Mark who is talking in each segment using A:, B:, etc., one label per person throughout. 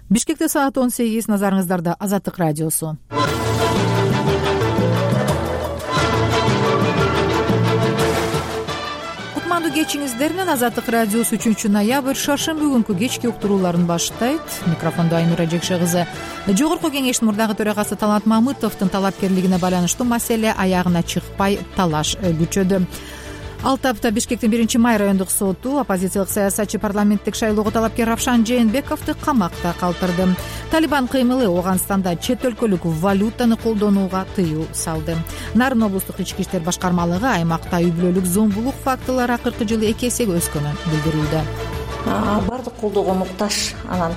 A: Бишкекте саат 18, назарыңыздарда Азаттык радиосу. Кутмандуу кечиңиздер менен Азаттык радиосу 3-ноябрь шаршемби күнкү кечки уктурууларын баштайт. Микрофондо Айнура Жекше кызы. Жогорку кеңештин мурдагы төрагасы Талант Мамытовдун талапкерлигине байланыштуу маселе аягына чыкпай талаш күчөдү. 6 апта Бишкектин 1-май райондук соту оппозициялык саясатчы парламенттик шайлоого талапкер Равшан Жээнбековду камакта калтырды. Талибан кыймылы Ооганстанда чет өлкөлүк валютаны колдонууга тыюу салды. Нарын облустук ички иштер башкармалыгы аймакта үй бүлөлүк зомбулук фактылары акыркы жылы 2 эсеге өскөнүн билдирүүдө.
B: Бардык колдоого муктаж, анан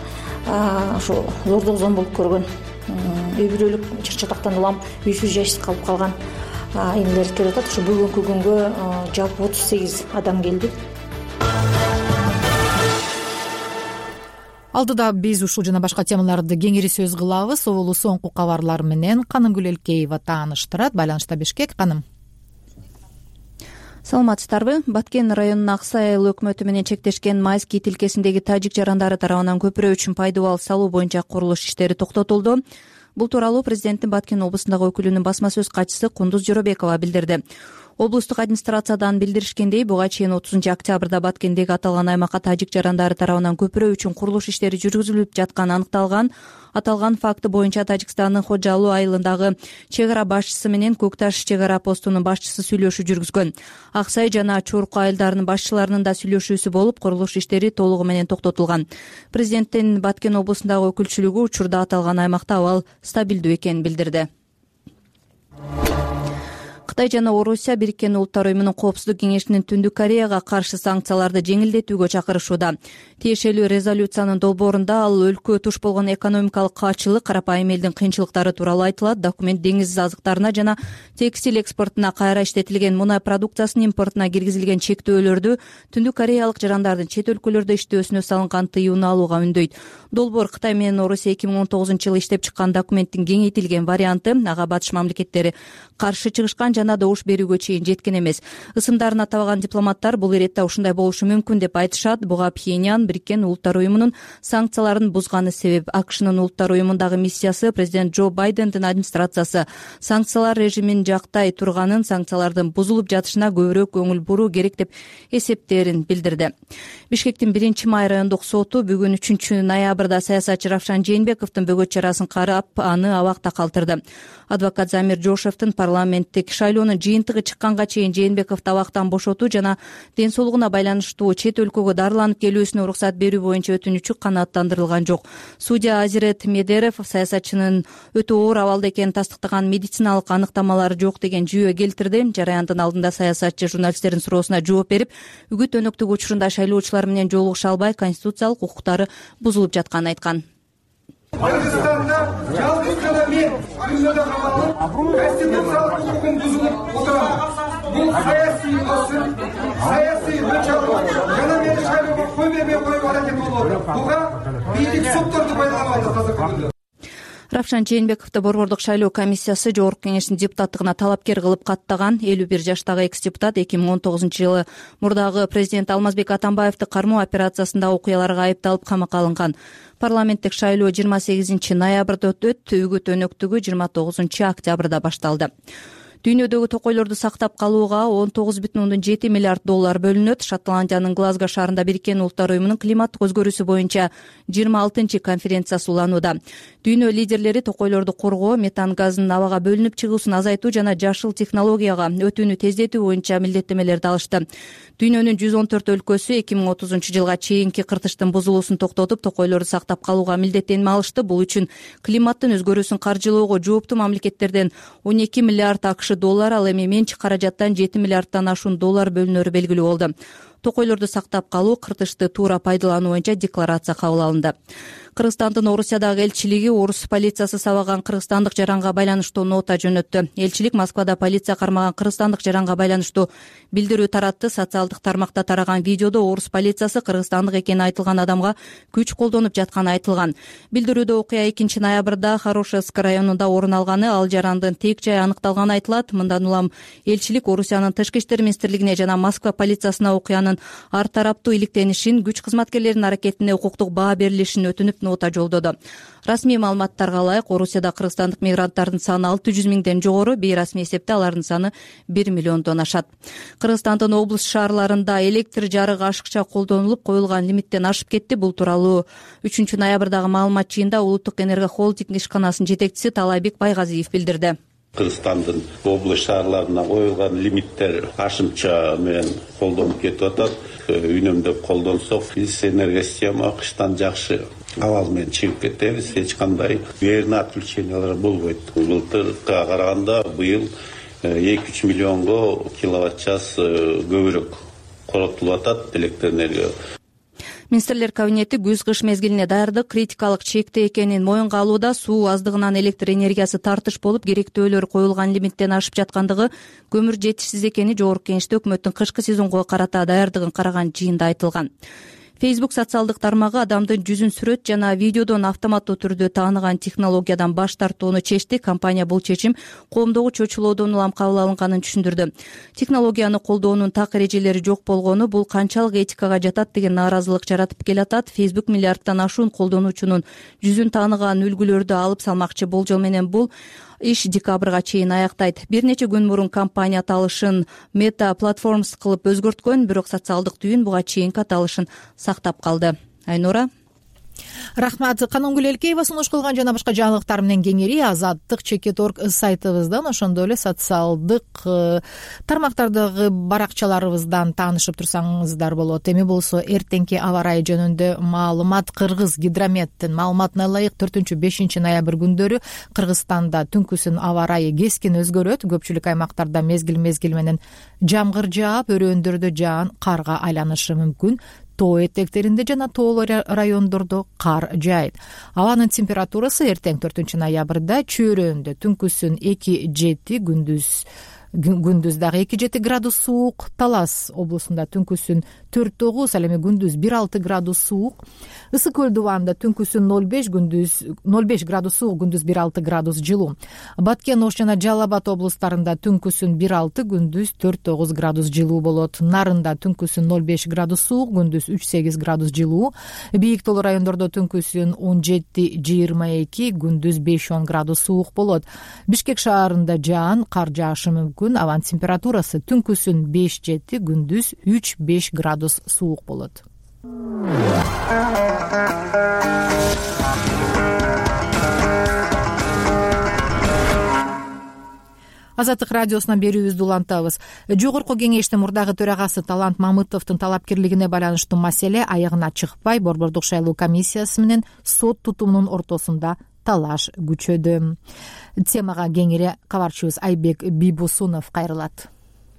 B: ушу зордук зомбулук көргөн, үй бүлөлүк чыр-чатактан улам үйсүз жайсыз калып калган эмелер келип атат. Ушу бүгүнкү күнгө жалпы 38 адам келди.
A: Алдыда биз ушул жана башка темаларды кеңири сөз кылабыз. Соболу соңку кабарлар менен Канымгүл Элкеева тааныштырат. Байланышта Бишкек. Каным.
C: Саламатсыздарбы? Баткен районунун Аксай айыл өкмөтү менен чектешкен Майский тилкесиндеги тажик жарандары тарабынан көпүрө үчүн пайдубал салуу боюнча курулуш иштери токтотулду. Бул тууралуу президенттин Баткен облусундагы өкүлүнүн басма сөз катчысы Кундуз Жоробекова билдирди. Облустук администрациядан билдиришкендей, буга чейин 30 октябрда Баткендеги аталган аймакка тажик жарандары тарабынан көпүрө үчүн курулуш иштери жүргүзүлүп жатканы аныкталган. Аталган факты боюнча Тажикстандын Ходжалуу айылындагы чек ара башчысы менен Көк Таш чек ара постунун башчысы сүйлөшүү жүргүзгөн. Аксай жана Чорку айылдарынын башчыларынын да сүйлөшүүсү болуп, курулуш иштери толугу менен токтотулган. Президенттин Баткен облусундагы өкүлчүлүгү учурда аталган аймакта абал стабилдүү экенин билдирди. Кытай жана Орусия Бириккен Улуттар уюмунун Коопсуздук кеңешинин Түндүк Кореяга каршы санкцияларды жеңилдетүүгө чакырышууда. Тиешелүү резолюциянын долбоорунда ал өлкө туш болгон экономикалык каачылык, карапайым элдин кыйынчылыктары тууралуу айтылат. Документ деңиз азыктарына жана текстиль экспортуна, кайра иштетилген мунай продукциясынын импортуна киргизилген чектөөлөрдү, Түндүк Кореялык жарандардын чет өлкөлөрдө иштөөсүнө салынган тыюуну алууга үндөйт. Долбоор Кытай менен Орусия 2019-жылы иштеп чыккан документтин кеңейтилген варианты. Ага батыш мамлекеттери каршы чыгышкан жана добуш берүүгө чейин жеткен эмес. Ысымдарын атабаган дипломаттар бул иретте ушундай болушу мүмкүн деп айтышат. Буга Пхеньян Бириккен Улуттар уюмунун санкцияларын бузганы себеп. АКШнын Улуттар уюмундагы миссиясы президент Джо Байдендин администрациясы санкциялар режимин жактай турганын, санкциялардын бузулуп жатышына көбүрөөк көңүл буруу керек деп эсептерин билдирди. Бишкектин 1-май райондук соту бүгүн 3-ноябрда саясатчы Равшан Жээнбековдун бөгөт чарасын карап, аны абакта калтырды. Адвокат Замир Жошевдин парламенттик шайлоонун жыйынтыгы чыкканга чейин Жээнбековду абактан бошотуу жана ден соолугуна байланыштуу чет өлкөгө дарыланып келүүсүнө уруксат берүү боюнча өтүнүчү канааттандырылган жок. Судья Азирет Медерев саясатчынын өтө оор абалда экенин тастыктаган медициналык аныктамалары жок деген жүйө келтирди. Жараяндын алдында саясатчы журналисттердин суроосуна жооп берип, үгүт өнөктүк учурунда шайлоочулар менен жолугуша албай конституциялык укуктары бузулуп жатканын айткан.
D: Кыргызстанда жалгыз гана мен күнөдө калып, конституциялык укугум бузулуп отурам. Бул саясий басым, саясий өлчөм жана мени шайлоого кой бербей коюп аракет болуп атат. Буга бийлик сотторду пайдаланып атат азыркы күндө.
C: Равшан Жээнбековду Борбордук шайлоо комиссиясы Жогорку кеңештин депутаттыгына талапкер кылып каттаган. 51 жаштагы экс-депутат 2019-жылы мурдагы президент Алмазбек Атамбаевди кармоо операциясындагы окуяларга айыпталып камакка алынган. Парламенттик шайлоо 28-ноябрда өтөт, үгүт өнөктүгү 29 октябрда башталды. Дүйнөдөгү токойлорду сактап калууга $19,7 миллиард бөлүнөт. Шотландиянын Глазго шаарында Бириккен Улуттар уюмунун климаттык өзгөрүүсү боюнча 26-чы конференциясы уланууда. Дүйнө лидерлери токойлорду коргоо, метан газынын абага бөлүнүп чыгуусун азайтуу жана жашыл технологияга өтүүнү тездетүү боюнча милдеттемелерди алышты. Дүйнөнүн 114 өлкөсү 2030-жылга чейинки кыртыштын бузулуусун токтотуп, токойлорду сактап калууга милдеттенме алышты. Бул үчүн климаттын өзгөрүүсүн каржылоого жооптуу мамлекеттерден $12 миллиард AQSh, ал эми менчик каражаттан $7 миллиарддан ашуун доллар бөлүнөрү белгилүү болду. Токойлорду сактап калуу, кыртышты туура пайдалануу боюнча декларация кабыл алынды. Кыргызстандын Орусиядагы элчилиги орус полициясы сабаган кыргызстандык жаранга байланыштуу нота жөнөттү. Элчилик Москвада полиция кармаган кыргызстандык жаранга байланыштуу билдирүү таратты. Социалдык тармакта тараган видеодо орус полициясы кыргызстандык экени айтылган адамга күч колдонуп жатканы айтылган. Билдирүүдө окуя 2-ноябрда Хорошевск районунда орун алганы, ал жарандын тек жайы аныкталганы айтылат. Мындан улам элчилик Орусиянын тышкы иштер министрлигине жана Москва полициясына окуянын ар тараптуу иликтенишин, күч кызматкерлеринин аракетине укуктук баа берилишин өтүнүп, нота жолдоду. Расмий маалыматтарга ылайык, Орусияда кыргызстандык мигранттардын саны 600 миңден жогору, бейрасмий эсепте алардын саны 1 миллиондон ашат. Кыргызстандын облус шаарларында электр жарыгы ашыкча колдонулуп, коюлган лимиттен ашып кетти. Бул тууралуу 3 ноябрдагы маалымат жыйында Улуттук энерго холдинг ишканасынын жетекчиси Талайбек Байгазиев билдирди.
E: Кыргызстандын облус шаарларына коюлган лимиттер ашымча менен колдонуп кетип атат. Үнөмдөп колдонсок, биз энергосистема кыштан жакшы абал менен чыгып кетебиз. Эч кандай верный отключениялар болбойт. Былтырга караганда быйыл 2-3 миллионго киловатт час көбүрөөк коротулуп атат электр энергия.
C: Министрлер кабинети күз-кыш мезгилине даярдык критикалык чекте экенин моюнга алууда. Суу аздыгынан электр энергиясы тартыш болуп, керектөөлөр коюлган лимиттен ашып жаткандыгы, көмүр жетишсиз экени Жогорку Кеңеште өкмөттүн кышкы сезонго карата даярдыгын караган жыйында айтылган. Facebook социалдык тармагы адамдын жүзүн сүрөт жана видеодон автоматтуу түрдө тааныган технологиядан баш тартууну чечти. Компания бул чечим коомдогу чочулоодон улам кабыл алынганын түшүндүрдү. Технологияны колдоонун так эрежелери жок болгону бул канчалык этикага жатат деген нааразылык жаратып келатат. Facebook миллиардтан ашуун колдонуучунун жүзүн тааныган үлгүлөрдү алып салмакчы. Болжол менен бул иш декабрга чейин аяктайт. Бир нече күн мурун компания аталышын Meta Platforms кылып өзгөрткөн, бирок социалдык түйүн буга чейинки аталышын сактап калды. Айнура.
A: Рахмат. Канонгүл Элкеева сунуш кылган жана башка жаңылыктар менен кеңири Азаттык.org сайтыбыздан, ошондой эле социалдык тармактардагы баракчаларыбыздан таанышып турсаңыздар болот. Эми болсо эртеңки аба ырайы жөнүндө маалымат. Кыргыз гидрометтин маалыматына ылайык 4-5 ноябрь күндөрү Кыргызстанда түнкүсүн аба ырайы кескин өзгөрөт. Көпчүлүк аймактарда мезгил менен жамгыр жаап, өрөөндөрдө жаан карга айланышы мүмкүн. Тоо этектеринде жана тоолуу райондордо кар жаайт. Абанын температурасы эртең 4 ноябрда чөйрөндө түнкүсүн 2-7, күндүз дагы 2-7 градус суук. Талас облусунда түнкүсүн 4-9, ал эми күндүз 1-6 градус суук. Ысык көл дубанда түнкүсүн 0-5 градус суук, күндүз 1-6 градус жылуу. Баткен, Ош жана Жалал Абад облустарында түнкүсүн 1-6, күндүз 4-9 градус жылуу болот. Нарында түнкүсүн 0-5 градус суук, күндүз 3-8 градус жылуу. Бийик тоолуу райондордо түнкүсүн 17-22, күндүз 5-10 градус суук болот. Бишкек шаарында жаан, кар жаашы мүмкүн. Абанын температурасы түнкүсүн 5-7, күндүз 3-5 градус суук болот. Азаттык радиосунан берүүбүздү улантабыз. Жогорку Кеңештин мурдагы төрагасы Талант Мамытовдун талапкерлигине байланыштуу маселе аягына чыкпай, Борбордук шайлоо комиссиясы менен сот тутумунун ортосунда талаш күчөдү. Темага кеңири кабарчыбыз Айбек Бийбосунов кайрылат.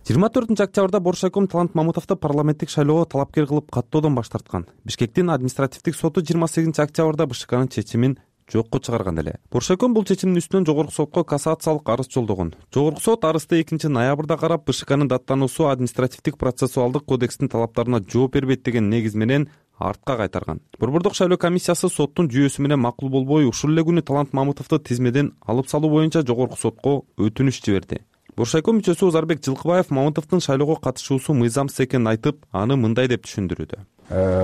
F: 24 октябрда Боршайком Талант Мамытовду парламенттик шайлоого талапкер кылып каттоодон баш тарткан. Бишкектин административдик соту 28 октябрда БШКнын чечимин жокко чыгарган эле. Боршайком бул чечимдин үстүнөн Жогорку сотко кассациялык арыз жолдогон. Жогорку сот арызды 2 ноябрда карап, БШКнын даттануусу административдик процессуалдык кодекстин талаптарына жооп бербейт деген негиз менен артка кайтарган. Борбордук шайлоо комиссиясы соттун жүйөсү менен макул болбой, ушул эле күнү Талант Мамытовду тизмеден алып салуу боюнча Жогорку сотко өтүнүч жиберди. Боршайком мүчөсү Узарбек Жылкыбаев Мамытовдун шайлоого катышуусу мыйзамсыз экенин айтып, аны мындай деп түшүндүрүүдө.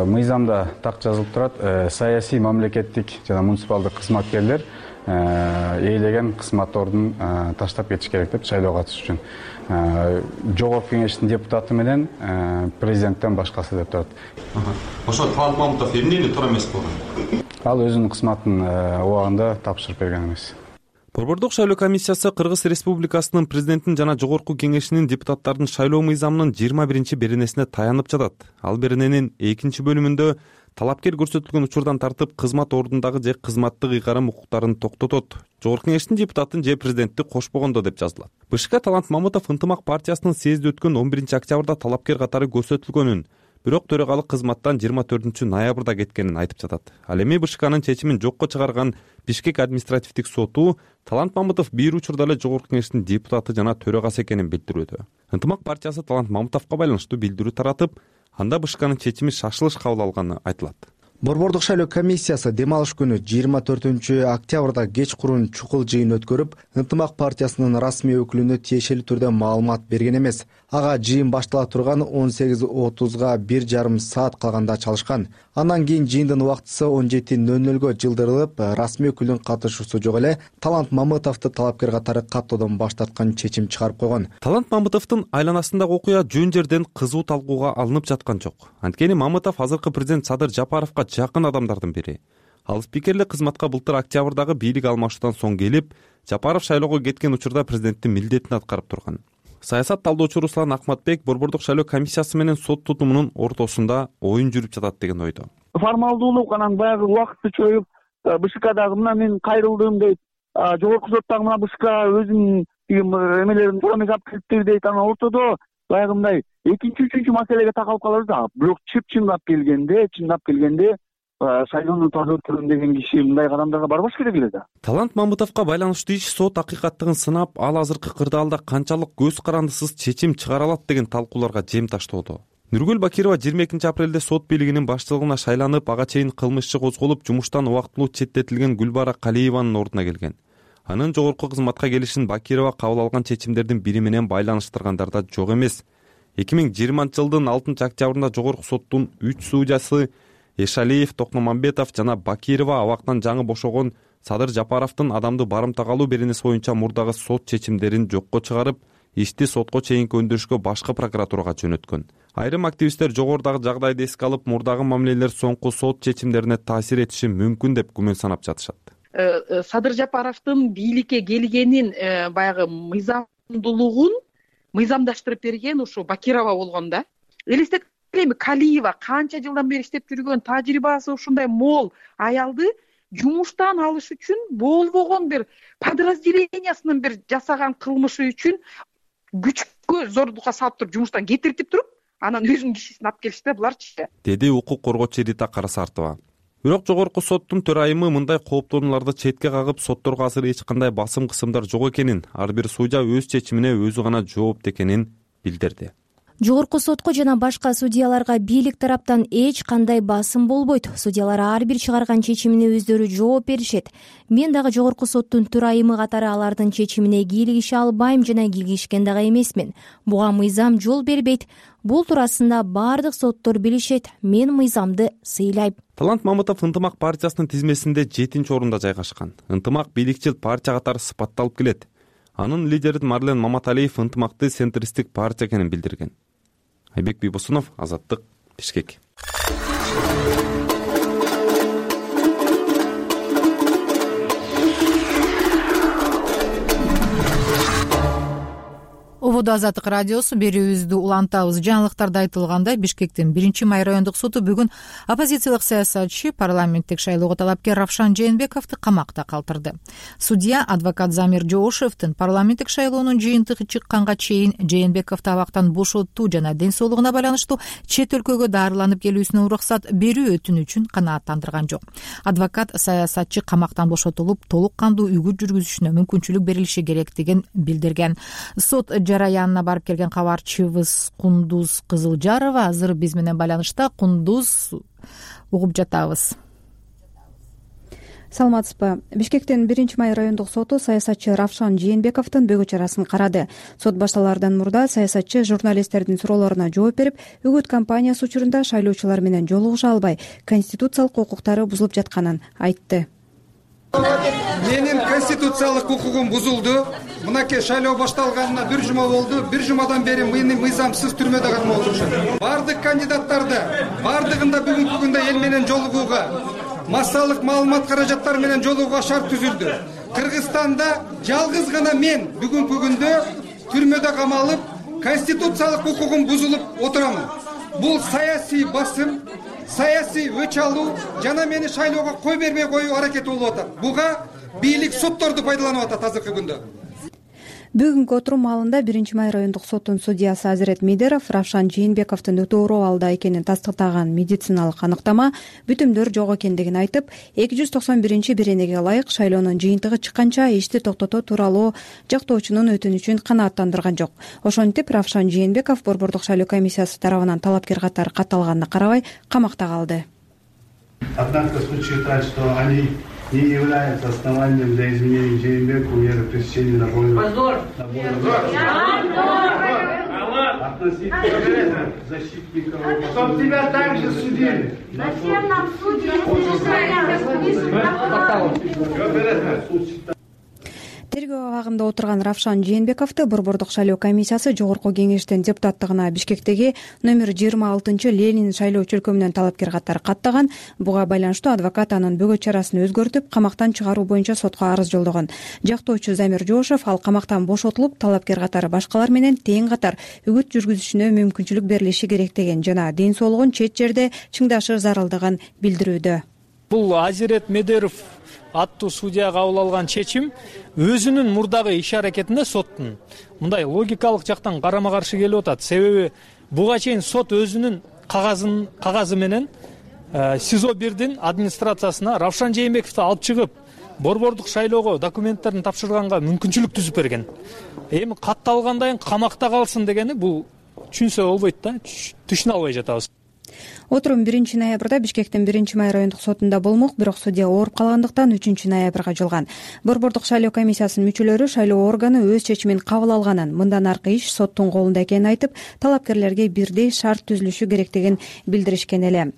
G: Мыйзамда так жазылып турат, саясий, мамлекеттик жана муниципалдык кызматкерлер ээлеген кызматтордун таштап кетиш керек деп шайлоого катышыш үчүн. Жогорку Кеңештин депутаты менен президенттен башкасы деп турат.
F: Ошо Талант Мамытов эмнени туура эмес болгон?
G: Ал өзүнүн кызматын убагында тапшырып берген эмес.
F: Борбордук шайлоо комиссиясы Кыргыз Республикасынын президентин жана Жогорку Кеңешинин депутаттардын шайлоо мыйзамынын 21 беренесине таянып жатат. Ал берененин 2 бөлүмүндө талапкер көрсөтүлгөн учурдан тартып кызмат ордундагы же кызматтык ыйгарым укуктарын токтотот. Жогорку Кеңештин депутатын же президентти кошпогондо деп жазылат. БШК Талант Мамытов Ынтымак партиясынын съезди өткөн 11 октябрда талапкер катары көрсөтүлгөнүн, бирок төрагалык кызматтан 24 ноябрда кеткенин айтып жатат. Ал эми БШКнын чечимин жокко чыгарган Бишкек административдик соту Талант Мамытов бир учурда эле Жогорку Кеңештин депутаты жана төрагасы экенин билдирүүдө. Ынтымак партиясы Талант Мамытовго байланыштуу билдирүү таратып, анда БШКнын чечими шашылыш кабыл алганы айтылат.
H: Борбордук шайлоо комиссиясы дем алыш күнү 24-октябрда кечкурун чукул жыйын өткөрүп, Ынтымак партиясынын расмий өкүлүнө тиешелүү түрдө маалымат берген эмес. Ага жыйын баштала турган 18:30 1,5 саат калганда чалышкан. Андан кийин жыйындын убактысы 17:00 жылдырылып, расмий өкүлдүн катышуусу жок эле Талант Мамытовду талапкер катары каттоодон баш тарткан чечим чыгарып койгон.
F: Талант Мамытовдун айланасындагы окуя жөн жерден кызуу талкууга алынып жаткан жок. Анткени Мамытов азыркы президент Садыр Жапаровго жакын адамдардын бири. Ал спикерлик кызматка былтыр октябрдагы бийлик алмашуудан соң келип, Жапаров шайлоого кеткен учурда президенттин милдетин аткарып турган. Саясат талдоочу Руслан Акматбек Борбордук шайлоо комиссиясы менен сот тутумунун ортосунда оюн жүрүп жатат деген ойдо.
I: Формалдуулук анан баягы убакытты чоюп, БШКдагы мына мен кайрылдым дейт, жогорку соттагы мына БШК өзүнүн эмелерин туура эмес алып келиптир дейт. Анан ортодо баягы мындай экинчи, үчүнчү маселеге такалып калабыз да. Бирок чындап келгенде шайлоону таза өткөрөм деген киши мындай кадамдарга барбаш керек эле да.
F: Талант Мамытовго байланыштуу иш сот акыйкаттыгын сынап, ал азыркы кырдаалда канчалык көз карандысыз чечим чыгара алат деген талкууларга жем таштоодо. Нургүл Бакирова 22 апрелде сот бийлигинин башчылыгына шайланып, ага чейин кылмыш иши козголуп, жумуштан убактылуу четтетилген Гүлбара Калиеванын ордуна келген. Анын жогорку кызматка келишин Бакирова кабыл алган чечимдердин бири менен байланыштыргандар да жок эмес. 2020-жылдын 6-октябрында жогорку соттун 3 судьясы Эшалиев, Токмамбетов жана Бакирова абактан жаңы бошогон Садыр Жапаровдун адамды барымтага алуу беренеси боюнча мурдагы сот чечимдерин жокко чыгарып, ишти сотко чейинки өндүрүшкө башкы прокуратурага жөнөткөн. Айрым активисттер жогорудагы жагдайды эске алып, мурдагы мамилелер соңку сот чечимдерине таасир этиши мүмкүн деп күмөн санап жатышат.
J: Садыр Жапаровдун бийликке келгенин баягы мыйзамдуулугун мыйзамдаштырып берген ушу Бакирова болгон да. Элестет эми Калиева канча жылдан бери иштеп жүргөн, тажрыйбасы ушундай мол аялды жумуштан алыш үчүн болбогон бир подразделениясынын бир жасаган кылмышы үчүн күчкө зордукка салып туруп жумуштан кетиртип туруп, анан өзүнүн кишисин алып келишти буларчы,
F: деди укук коргоочу Рита Карасартова. Бирок жогорку соттун төрайымы мындай кооптонууларды четке кагып, сотторго азыр эч кандай басым кысымдар жок экенин, ар бир судья өз чечимине өзү гана жоопту экенин билдирди.
K: Жогорку сотко жана башка судьяларга бийлик тараптан эч кандай басым болбойт. Судьялар ар бир чыгарган чечимине өздөрү жооп беришет. Мен дагы жогорку соттун төрайымы катары алардын чечимине кийлигише албайм жана кийлигишкен дагы эмесмин. Буга мыйзам жол бербейт. Бул туурасында бардык соттор билишет. Мен мыйзамды сыйлайм.
F: Талант Мамытов Ынтымак партиясынын тизмесинде 7-орунда жайгашкан. Ынтымак бийликчил партия катары сыпатталып келет. Анын лидери Марлен Маматалиев ынтымакты центристтик партия экенин билдирген. Айбек Бийбосунов, Азаттык, Бишкек.
A: Ободо Азаттык радиосу берүүбүздү улантабыз. Жаңылыктарда айтылгандай, Бишкектин 1-май райондук соту бүгүн оппозициялык саясатчы, парламенттик шайлоого талапкер Равшан Жээнбековду камакта калтырды. Судья адвокат Замир Жоошевдин парламенттик шайлоонун жыйынтыгы чыкканга чейин Жээнбековду абактан бошоттуу жана ден соолугуна байланыштуу чет өлкөгө дарыланып келүүсүнө уруксат берүү өтүнүчүн канааттандырган жок. Адвокат саясатчы камактан бошотулуп, толук кандуу үйгө жүргүзүшүнө мүмкүнчүлүк берилиши керектигин билдирген. Сот жараянына барып келген кабарчыбыз Кундуз Кызылжарова азыр биз менен байланышта. Кундуз, угуп жатабыз.
L: Саламатсызбы. Бишкектин 1-май райондук соту саясатчы Равшан Жээнбековдун бөгө чарасын карады. Сот башталаардан мурда саясатчы журналисттердин суроолоруна жооп берип, үгүт кампаниясы учурунда шайлоочулар менен жолугуша албай, конституциялык укуктары бузулуп жатканын айтты.
D: Менин конституциялык укугум бузулду. Мынакей шайлоо башталганына 1 жума болду. 1 жумадан бери мени мыйзамсыз түрмөдө катмап отурушат. Бардык кандидаттарды бардыгында бүгүнкү күндө эл менен жолугууга, массалык маалымат каражаттары менен жолугууга шарт түзүлдү. Кыргызстанда жалгыз гана мен бүгүнкү күндө түрмөдө камалып, конституциялык укугум бузулуп отурамын. Бул саясий басым, саясий өч алуу жана мени шайлоого кой бербей коюу аракети болуп атат. Буга бийлик сотторду пайдаланып атат азыркы күндө.
L: Бүгүнкү отурум маалында 1-май райондук соттун судьясы Азирет Мейдеров Равшан Жээнбековдун өтө абалда экенин тастыктаган медициналык аныктама, бүтүмдөр жок экендигин айтып, 291 беренеге ылайык шайлоонун жыйынтыгы чыкканча ишти токтотуу тууралуу жактоочунун өтүнүчүн канааттандырган жок. Ошентип Равшан Жээнбеков Борбордук шайлоо комиссиясы тарабынан талапкер катары катталганына карабай камакта калды.
M: Однако случай так, что они не являются основанием для изменения Жээнбекова меры пресечения на волю. Позор! Относительно защитников. Чтоб тебя также судили.
N: Зачем нам судили?
L: Тергөө абагында отурган Равшан Жээнбековду Борбордук шайлоо комиссиясы жогорку кеңештин депутаттыгына Бишкектеги номер 26 Ленин шайлоо чөлкөмүнөн талапкер катары каттаган. Буга байланыштуу адвокат анын бөгөт чарасын өзгөртүп, камактан чыгаруу боюнча сотко арыз жолдогон. Жактоочу Замир Жошев ал камактан бошотулуп, талапкер катары башкалар менен тең катар үгүт жүргүзүшүнө мүмкүнчүлүк берилиши керек деген жана ден соолугун чет жерде чыңдашы зарылдыгын билдирүүдө.
O: Бул Азирет Медеров аттуу судья кабыл алган чечим өзүнүн мурдагы иш аракетинде соттун мындай логикалык жактан карама каршы келип атат. Себеби буга чейин сот өзүнүн кагазы менен СИЗО 1дин администрациясына Равшан Жээнбековду алып чыгып, борбордук шайлоого документтерин тапшырганга мүмкүнчүлүк түзүп берген. Эми катталгандан кийин камакта калсын дегени бул түшүнсө болбойт да, түшүнө албай жатабыз.
L: Отурум 1 ноябрда Бишкектин 1 май райондук сотунда болмок, бирок судья ооруп калгандыктан 3 ноябрга жылган. Борбордук шайлоо комиссиясынын мүчөлөрү шайлоо органы өз чечимин кабыл алганын, мындан аркы иш соттун колунда экенин айтып, талапкерлерге бирдей шарт түзүлүшү керектигин билдиришкен эле.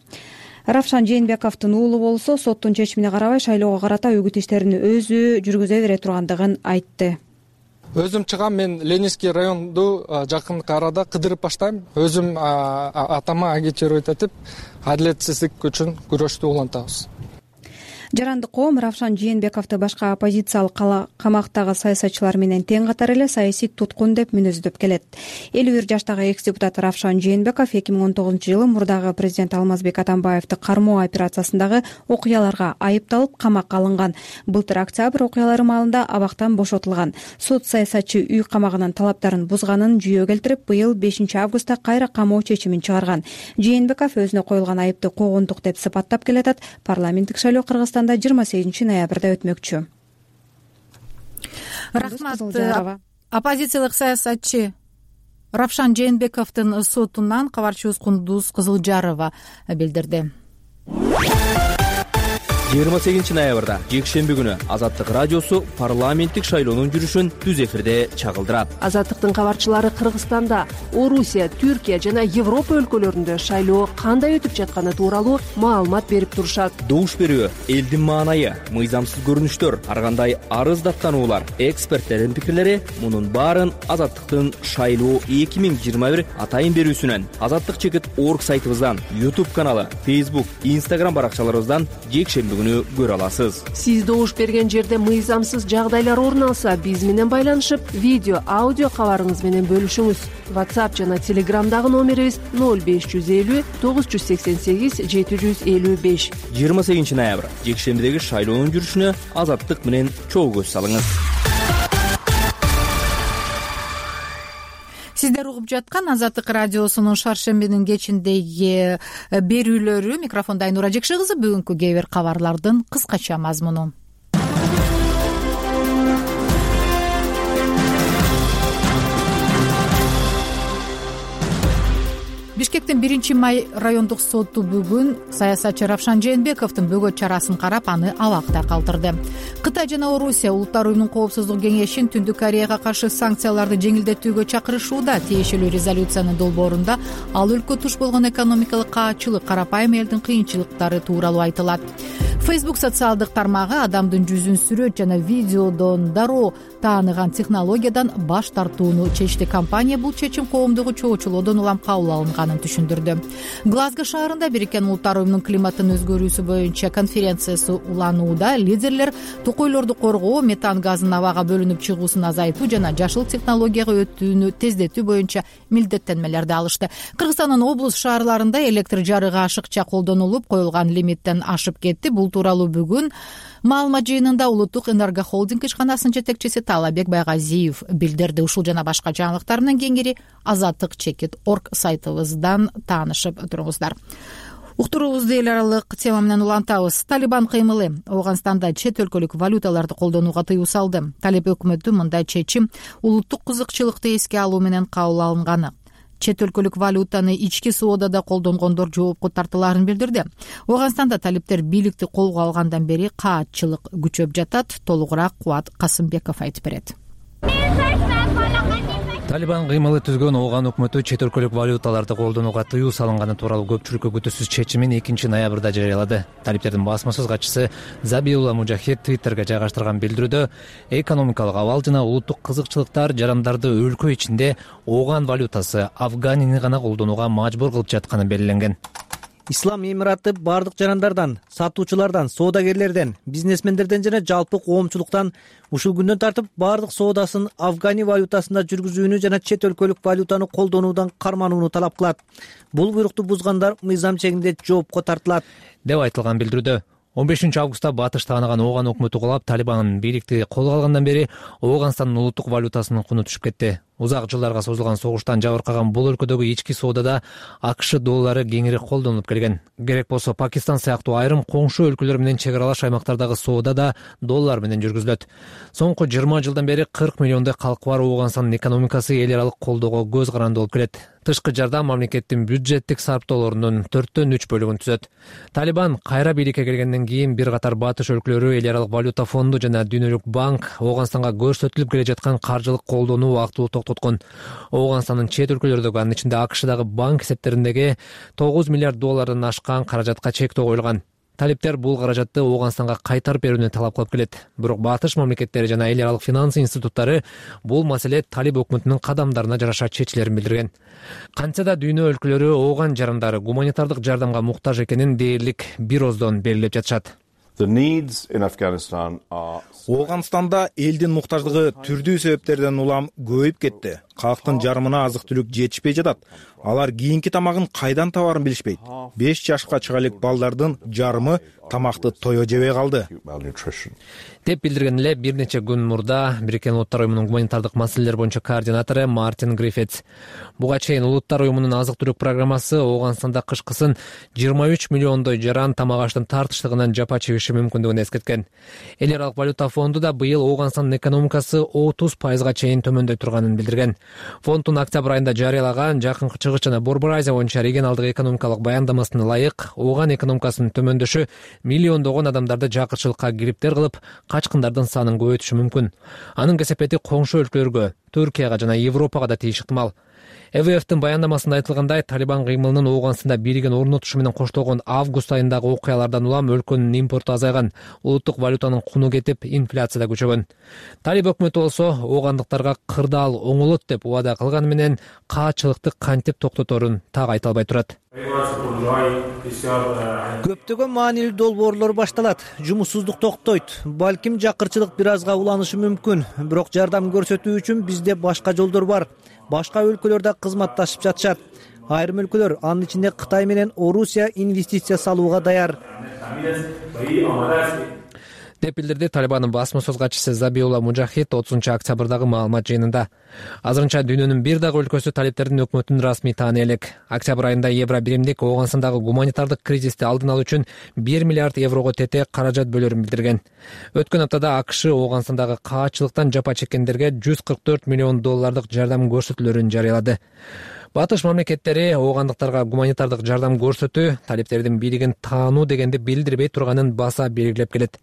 L: Равшан Жээнбековдун уулу болсо соттун чечимине карабай шайлоого карата үгүт иштерин өзү жүргүзө бере тургандыгын айтты.
P: Өзүм чыгам, мен Ленинский районду жакынкы арада кыдырып баштайм. Өзүм атама агитировать этип, адилетсиздик үчүн күрөштү улантабыз.
L: Жарандык коом Равшан Жээнбековду башка оппозициялык камактагы саясатчылар менен тең катар эле саясий туткун деп мүнөздөп келет. 51 жаштагы экс-депутат Равшан Жээнбеков 2019-жылы мурдагы президент Алмазбек Атамбаевди кармоо операциясындагы окуяларга айыпталып камакка алынган. Былтыр октябрь окуялары маалында абактан бошотулган. Суд саясатчы үй камагынын талаптарын бузганын жүйө келтирип, быйыл 5 августта кайра камоо чечимин чыгарган. Жээнбеков өзүнө коюлган айыпты когондук деп сыпаттап келатат. Парламенттик шайлоо Кыргызстанда 28 ноябрда өтмөкчү.
A: Рахмат. Оппозициялык саясатчы Равшан Жээнбековдун сотунан кабарчыбыз Кундуз Кызылжарова билдирди.
Q: 28 ноябрда жекшемби күнү Азаттык радиосу парламенттик шайлоонун жүрүшүн түз эфирде чагылдырат.
R: Азаттыктын кабарчылары Кыргызстанда, Орусия, Түркия жана Европа өлкөлөрүндө шайлоо кандай өтүп жатканы тууралуу маалымат берип турушат.
Q: Добуш берүү, элдин маанайы, мыйзамсыз көрүнүштөр, ар кандай арыз даттануулар, эксперттердин пикирлери мунун баарын Азаттыктын шайлоо 2021 атайын берүүсүнөн, Азаттык.org сайтыбыздан, YouTube каналы, Facebook, Instagram баракчаларыбыздан жекшемби күнү көрө аласыз.
R: Сиз добуш берген жерде мыйзамсыз жагдайлар орун алса, биз менен байланышып, видео, аудио кабарыңыз менен бөлүшүңүз. WhatsApp жана Telegramдагы номерибиз 0550 988 755.
Q: 28 ноябрь жекшембидеги шайлоонун жүрүшүнө Азаттык менен чогуу көз салыңыз.
A: Сиздер угуп жаткан Азаттык радиосунун шаршембинин кечиндеги берүүлөрү. Микрофонда Айнура Жекше кызы. Бүгүнкү кээ бир кабарлардын кыскача мазмуну. Бишкектин 1 май райондук соту бүгүн саясатчы Равшан Жээнбековдун бөгөт чарасын карап, аны абакта калтырды. Кытай жана Орусия Улуттар уюмунун коопсуздук кеңешин Түндүк Кореяга каршы санкцияларды жеңилдетүүгө чакырышууда. Тиешелүү резолюциянын долбоорунда ал өлкө туш болгон экономикалык каачылык, карапайым элдин кыйынчылыктары тууралуу айтылат. Facebook социалдык тармагы адамдын жүзүн сүрөт жана видеодон дароо тааныган технологиядан баш тартууну чечти. Компания бул чечим коомдугу чоочулоодон улам кабыл алынганын түшүндүрдү. Глазго шаарында Бириккен Улуттар уюмунун климаттын өзгөрүүсү боюнча конференциясы уланууда. Лидерлер токойлорду коргоо, метан газынын абага бөлүнүп чыгуусун азайтуу жана жашыл технологияга өтүүнү тездетүү боюнча милдеттенмелерди алышты. Кыргызстандын облус шаарларында электр жарыгы ашыкча колдонулуп, коюлган лимиттен ашып кетти. Бул тууралуу бүгүн маалымат жыйынында Улуттук энерго холдинг ишканасынын жетекчиси Талабек Байгазиев билдирди. Ушул жана башка жаңылыктар менен кеңири Азаттык.org сайтыбыздан таанышып туруңуздар. Уктуруубузду эл аралык тема менен улантабыз. Талибан кыймылы Ооганстанда чет өлкөлүк валюталарды колдонууга тыюу салды. Талиб өкмөтү мындай чечим улуттук кызыкчылыкты эске алуу менен кабыл алынганы. чет өлкөлүк валютаны ички соодада колдонгондор жоопко тартылаарын билдирди. Ооганстанда талиптер бийликти колго алгандан бери каатчылык күчөп жатат. Толугураак Кубат Касымбеков айтып берет.
S: Талибан кыймылы түзгөн Ооган өкмөтү чет өлкөлүк валюталарды колдонууга тыюу салынганы тууралуу көпчүлүккө күтүүсүз чечимин 2-ноябрда жарыялады. Талиптердин басма сөз катчысы Забиулла Мужахид Твиттерге жайгаштырган билдирүүдө экономикалык абал жана улуттук кызыкчылыктар жарандарды өлкө ичинде Ооган валютасы Афганини гана колдонууга мажбур кылып жатканы белгиленген.
T: Ислам Эмираты бардык жарандардан, сатуучулардан, соодагерлерден, бизнесмендерден жана жалпы коомчулуктан ушул күндөн тартып бардык соодасын Афгани валютасында жүргүзүүнү жана чет өлкөлүк валютаны колдонуудан карманууну талап кылат. Бул буйрукту бузгандар мыйзам чегинде жоопко тартылат,
S: деп айтылган билдирүүдө. 15 августта батыш таагынаган Ооган өкмөтү кулап, Талибан бийликти колго алгандан бери Ооганстандын улуттук валютасынын куну түшүп кетти. Узак жылдарга созулган согуштан жабыркаган бул өлкөдөгү ички соодада АКШ доллары кеңири колдонулуп келген. Керек болсо Пакистан сыяктуу айрым коңшу өлкөлөр менен чек аралаш аймактардагы соода да доллар менен жүргүзүлөт. Соңку 20 жылдан бери 40 миллиондой калкы бар Ооганстандын экономикасы эл аралык колдоого көз каранды болуп келет. Тышкы жардам мамлекеттин бюджеттик сарптоолорунун 4/3 бөлүгүн түзөт. Талибан кайра бийликке келгенден кийин бир катар батыш өлкөлөрү эл аралык валюта фонду жана Дүйнөлүк банк Ооганстанга көрсөтүлүп келе жаткан каржылык колдонуу убактылуу токтоткон. Ооганстандын чет өлкөлөрдөгү, анын ичинде АКШдагы банк эсептериндеги 9 миллиард доллардан ашкан каражатка чектөө коюлган. Талиптер бул каражатты Ооганстанга кайтарып берүүнү талап кылып келет. Бирок батыш мамлекеттери жана эл аралык финанс институттары бул маселе Талиб өкмөтүнүн кадамдарына жараша чечилерин билдирген. Кантса да дүйнө өлкөлөрү Ооган жарандары гуманитардык жардамга муктаж экенин дээрлик бир ооздон белгилеп жатышат.
U: Ооганстанда элдин муктаждыгы түрдүү себептерден улам көбөйүп кетти. Калктын жарымына азык-түлүк жетишпей жатат. Алар кийинки тамагын кайдан табаарын билишпейт. 5 жашка чыга элек балдардын жарымы тамакты тое жебей калды,
S: деп билдирген эле бир нече күн мурда Бириккен Улуттар уюмунун гуманитардык маселелер боюнча координатору Мартин Гриффитс. Буга чейин Улуттар уюмунун азык-түлүк программасы Ооганстанда кышкысын 23 миллиондой жаран тамак аштын тартыштыгынан жапа чегиши мүмкүндүгүн эскерткен. Эл аралык валюта фонду да быйыл Ооганстандын экономикасы 30% чейин төмөндөй турганын билдирген. Фонддун октябрь айында жарыялаган Жакынкы Чыгыш жана Борбор Азия боюнча регионалдык экономикалык баяндамасына ылайык Ооган экономикасынын төмөндөшү миллиондогон адамдарды жакырчылыкка кириптер кылып, качкындардын санын көбөйтүшү мүмкүн. Анын кесепети коңшу өлкөлөргө, Түркияга жана Европага да тийиш ыктымал. ЭВФтин баяндамасында айтылгандай, Талибан кыймылынын Ооганстанда бийлигин орнотушу менен коштолгон август айындагы окуялардан улам өлкөнүн импорту азайган, улуттук валютанын куну кетип, инфляция да күчөгөн. Талиб өкмөтү болсо Оогандыктарга кырдаал оңолот деп убада кылганы менен каатчылыкты кантип токтоторун так айта албай турат.
T: Көптөгөн маанилүү долбоорлор башталат. Жумушсуздук токтойт. Балким жакырчылык бир азга уланышы мүмкүн. Бирок жардам көрсөтүү үчүн бизде башка жолдор бар. Башка өлкөлөрдө кызматташып жатышат. Айрым өлкөлөр, анын ичинде Кытай менен Орусия инвестиция салууга даяр,
S: деп билдирди Талибандын басма сөз катчысы Забиулла Мужахид 30 октябрдагы маалымат жыйынында. Азырынча дүйнөнүн бир дагы өлкөсү талиптердин өкмөтүн расмий тааны элек. Октябрь айында Евробиримдик Ооганстандагы гуманитардык кризисти алдын алуу үчүн 1 миллиард еврого тете каражат бөлөрүн билдирген. Өткөн аптада АКШ Ооганстандагы каатчылыктан жапа чеккендерге 144 миллион доллардык жардам көрсөтүүлөрүн жарыялады. Батыш мамлекеттери Оогандыктарга гуманитардык жардам көрсөтүү, талиптердин бийлигин таануу дегенди билдирбей турганын баса белгилеп келет.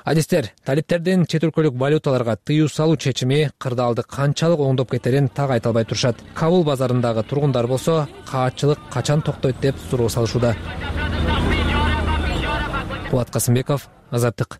S: Адистер, талиптердин чет өлкөлүк валюталарга тыюу салуу чечими кырдаалды канчалык оңдоп кетерин так айта албай турушат. Кабул базарындагы тургундар болсо, каатчылык качан токтойт деп суроо салышууда. Кубат Касымбеков, Азаттык.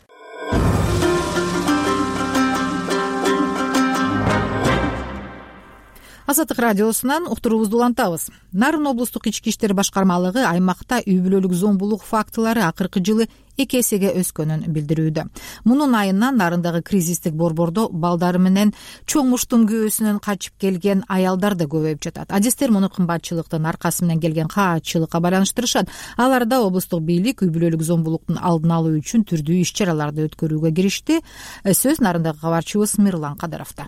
A: Азаттык радиосунан уктуруубузду улантабыз. Нарын облустук ички иштер башкармалыгы аймакта үй бүлөлүк зомбулук фактылары акыркы жылы 2 эсеге өскөнүн билдирүүдө. Мунун айынан Нарындагы кризистик борбордо балдары менен чоң муштум күйөөсүнөн качып келген аялдар да көбөйүп жатат. Адистер муну кымбатчылыктын аркасы менен келген каатчылыкка байланыштырышат. Аларда облустук бийлик үй бүлөлүк зомбулуктун алдын алуу үчүн түрдүү иш-чараларды өткөрүүгө киришти. Сөз Нарындагы кабарчыбыз Мирлан Кадыровдо.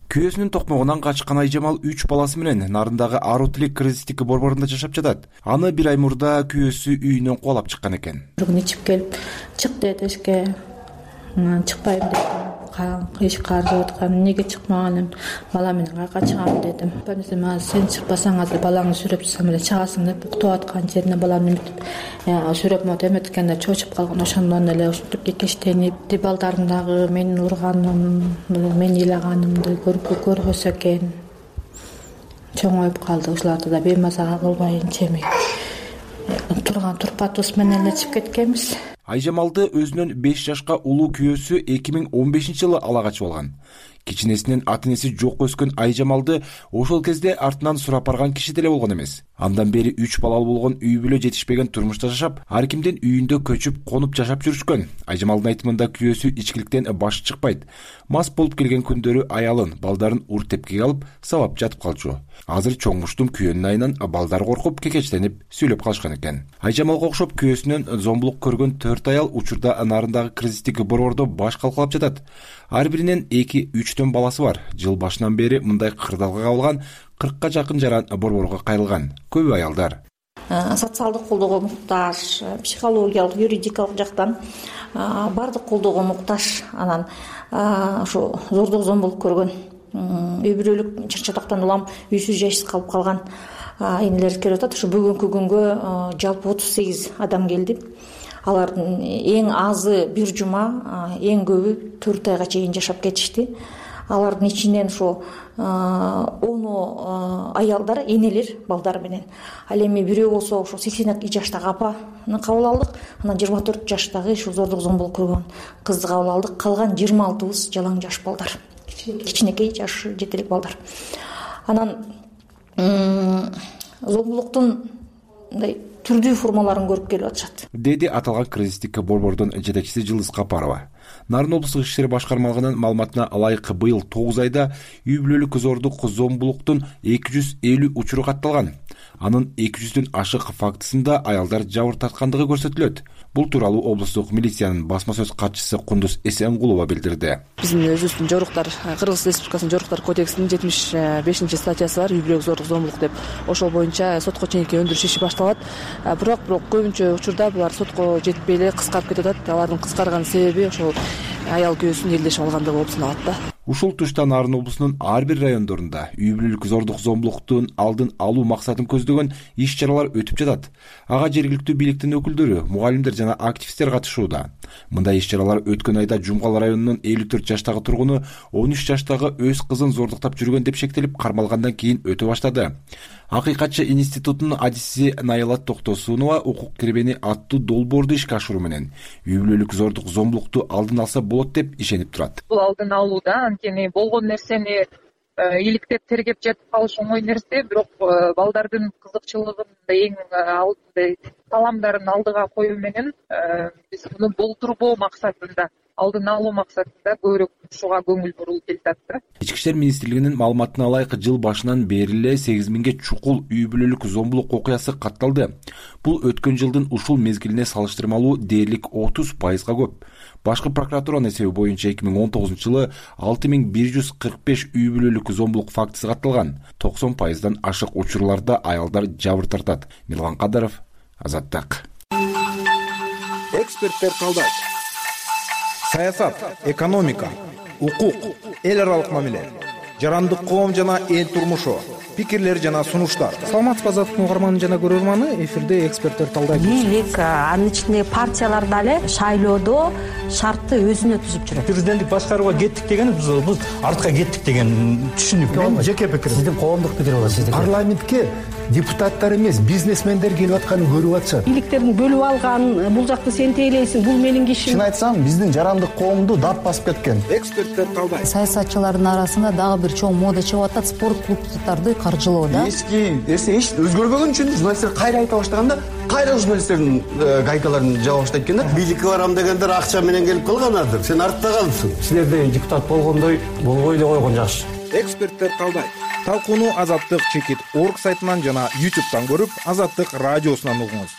V: Күйөөсүнүн токмогунан качкан Айжамал 3 баласы менен Нарындагы Арутилик кризистик борборунда жашап жатат. Аны бир ай мурда күйөөсү үйүнөн кубалап чыккан экен.
B: Бүгүн ичип келип, чык деди эшикке. Чыкпайм деп. эшик каржып аткан, эмнеге чыкмаганым, бала менен каяка чыгам дедим. Мага сен чыкпасаң азыр балаңды сүйрөп чыксам эле чыгасың деп уктап аткан жерине баламды эметип сүйрөп монтип эметкенде чочуп калган. Ошондон эле ушинтип кекештенип, балдарым дагы менин урганым, мени ыйлаганымды көрбөсө экен. Чоңоюп калды. Ушуларды да беймазага кылбай чеми турпатыбыз менен эле чыгып кеткенбиз.
V: Айжамалды өзүнөн 5 жашка улуу күйөөсү 2015-жылы ала качып алган. Кичинесинен ата-энеси жок өскөн Айжамалды ошол кезде артынан сурап барган киши деле болгон эмес. Андан бери 3 балалуу болгон үй бүлө жетишпеген турмушта жашап, ар кимдин үйүндө көчүп, конуп жашап жүрүшкөн. Айжамалдын айтымында күйөөсү ичкиликтен башы чыкпайт. Мас болуп келген күндөрү аялын, балдарын ур тепкиге алып, сабап жатып калчу. Азыр чоңмуштум күйөөнүн айынан балдар коркуп, кекечтенип сүйлөп калышкан экен. Айжамалга окшоп күйөөсүнөн зомбулук көргөн 4 аял учурда нарындагы кризистик борбордо баш калкалап жатат. Ар биринин 2-3төн баласы бар. Жыл башынан бери мындай кырдаалга кабылган 40ка жакын жаран борборго кайрылган. Көбү аялдар.
B: Социалдык колдоого муктаж, психологиялык, юридикалык жактан баардык колдоого муктаж. Анан ушу зордук зомбулук көргөн, үй бүлөлүк чыр-чатактан улам үйсүз жайсыз калып калган энелер келип атат. Ушу бүгүнкү күнгө жалпы 38 адам келди. Алардын эң азы 1 жума, эң көбү 4 айга чейин жашап кетишти. Алардын ичинен ушу 10 аялдар, энелер, балдар менен. Ал эми бирөө болсо ушу 82 жаштагы апаны кабыл алдык. Анан 24 жаштагы ушу зордук зомбулук көргөн кызды кабыл алдык. Калган 26быз жалаң жаш балдар. Кичинекей жашы жетелик балдар. Анан зомбулуктун мындай түрдүү формаларын көрүп келип атышат,
V: деди аталган кризистик борбордун жетекчиси Жылдыз Капарова. Нарын облустук иши башкармалыгынын маалыматына ылайык быйыл 9 айда үй бүлөлүк зордук зомбулуктун 250 учуру катталган. Анын 200дөн ашык фактысында аялдар жабыр тарткандыгы көрсөтүлөт. Бул тууралуу облустук милициянын басма сөз катчысы Кундуз Эсенгулова билдирди.
C: Биздин өзүбүздүн жоруктар, Кыргыз Республикасынын жоруктар кодексинин 75-статьясы бар, үй бүлөлүк зордук зомбулук деп. Ошол боюнча сотко чейинки өндүрүш иши башталат. Бирок көбүнчө учурда булар сотко жетпей эле кыскарып кетип атат. Алардын кыскарган себеби ошол аял күйөөсүн элдешип алгандыгы болуп саналат да.
V: Ушул тушта Нарын облусунун ар бир райондорунда үй бүлөлүк зордук зомбулуктун алдын алуу максатын көздөгөн иш-чаралар өтүп жатат. Ага жергиликтүү бийликтин өкүлдөрү, мугалимдер жана активисттер катышууда. Мындай иш-чаралар өткөн айда Жумгал районунун 54 жаштагы тургуну 13 жаштагы өз кызын зордуктап жүргөн деп шектелип кармалгандан кийин өтө баштады. Акыйкатчы институтунун адиси Найла Токтосунова укук кирбени аттуу долбоорду ишке ашыруу менен үй бүлөлүк зордук зомбулукту алдын алса болот деп ишенип турат.
E: Бул алдын алууда анткени болгон нерсени иликтеп тергеп жатып калыш оңой нерсе, бирок балдардын кызыкчылыгын эң алдында таламдарын алдыга коюу менен биз муну болтурбоо максатында, алдын алуу максатында көбүрөөк ушуга көңүл бурулуп келатат да.
V: Ички иштер министрлигинин маалыматына ылайык жыл башынан бери эле 8000ге чукул үй бүлөлүк зомбулук окуясы катталды. Бул өткөн жылдын ушул мезгилине салыштырмалуу дээрлик 30%га көп. Башкы прокуратуранын эсеби боюнча 2019-жылы 6145 үй бүлөлүк зомбулук фактысы катталган. 90%дан ашык учурларда аялдар жабыр тартат. Мирлан Кадаров, Азаттык.
U: Эксперттер талдайт. Саясат, экономика, укук, эл аралык мамиле, жарандык коом жана эл турмушу, пикирлер жана сунуштар. Саламатсызбы Азаттыктын угарманы жана көрөрманы, эфирде эксперттер талдайт.
W: Бийлик, анын ичинде партиялар дагы шайлоодо шартты өзүнө түзүп жүрөт.
X: Президенттик башкарууга кеттик деген биз артка кеттик деген түшүнүк. Мен жеке пикирим. Сиздин коомдук пикир болот, сиздики. Парламентке депутаттар эмес, бизнесмендер келип атканын көрүп атышат.
W: Бийликтерин бөлүп алган, бул жакты сен тейлейсиң, бул менин кишим.
X: Чын айтсам, биздин жарандык коомду дат басып кеткен.
U: Эксперттер талдайт.
Y: Саясатчылардын арасында дагы бир чоң мода чыгып атат, спорт клубдарды каржылоо да.
X: Эч өзгөрбөгөн үчүн журналисттер кайра айта баштаганда, кайра журналисттердин гайкаларын жаба баштайт экен да.
Z: Бийликке барам дегендер акча менен келип калганадыр. Сен артта калдың.
X: Силерде депутат болгондой болбой эле койгон жакшы.
U: Эксперттер талдайт. Талкууну Азаттык чекит орг сайтынан жана YouTube'дан көрүп, Азаттык радиосунан угуңуз.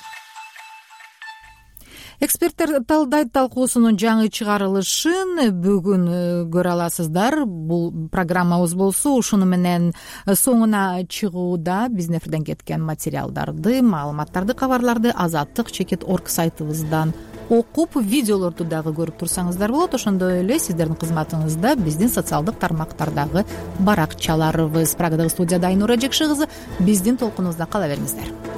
A: эксперттер талдайт талкуусунун жаңы чыгарылышын бүгүн көрө аласыздар. Бул программабыз болсо ушуну менен соңуна чыгууда. Биздин эфирден кеткен материалдарды, маалыматтарды, кабарларды azattik.org сайтыбыздан окуп, видеолорду дагы көрүп турсаңыздар болот. Ошондой эле сиздердин кызматыңызда биздин социалдык тармактардагы баракчаларыбыз. Прагадагы студияда Айнура Жекши кызы. Биздин толкунубузда кала бериңиздер.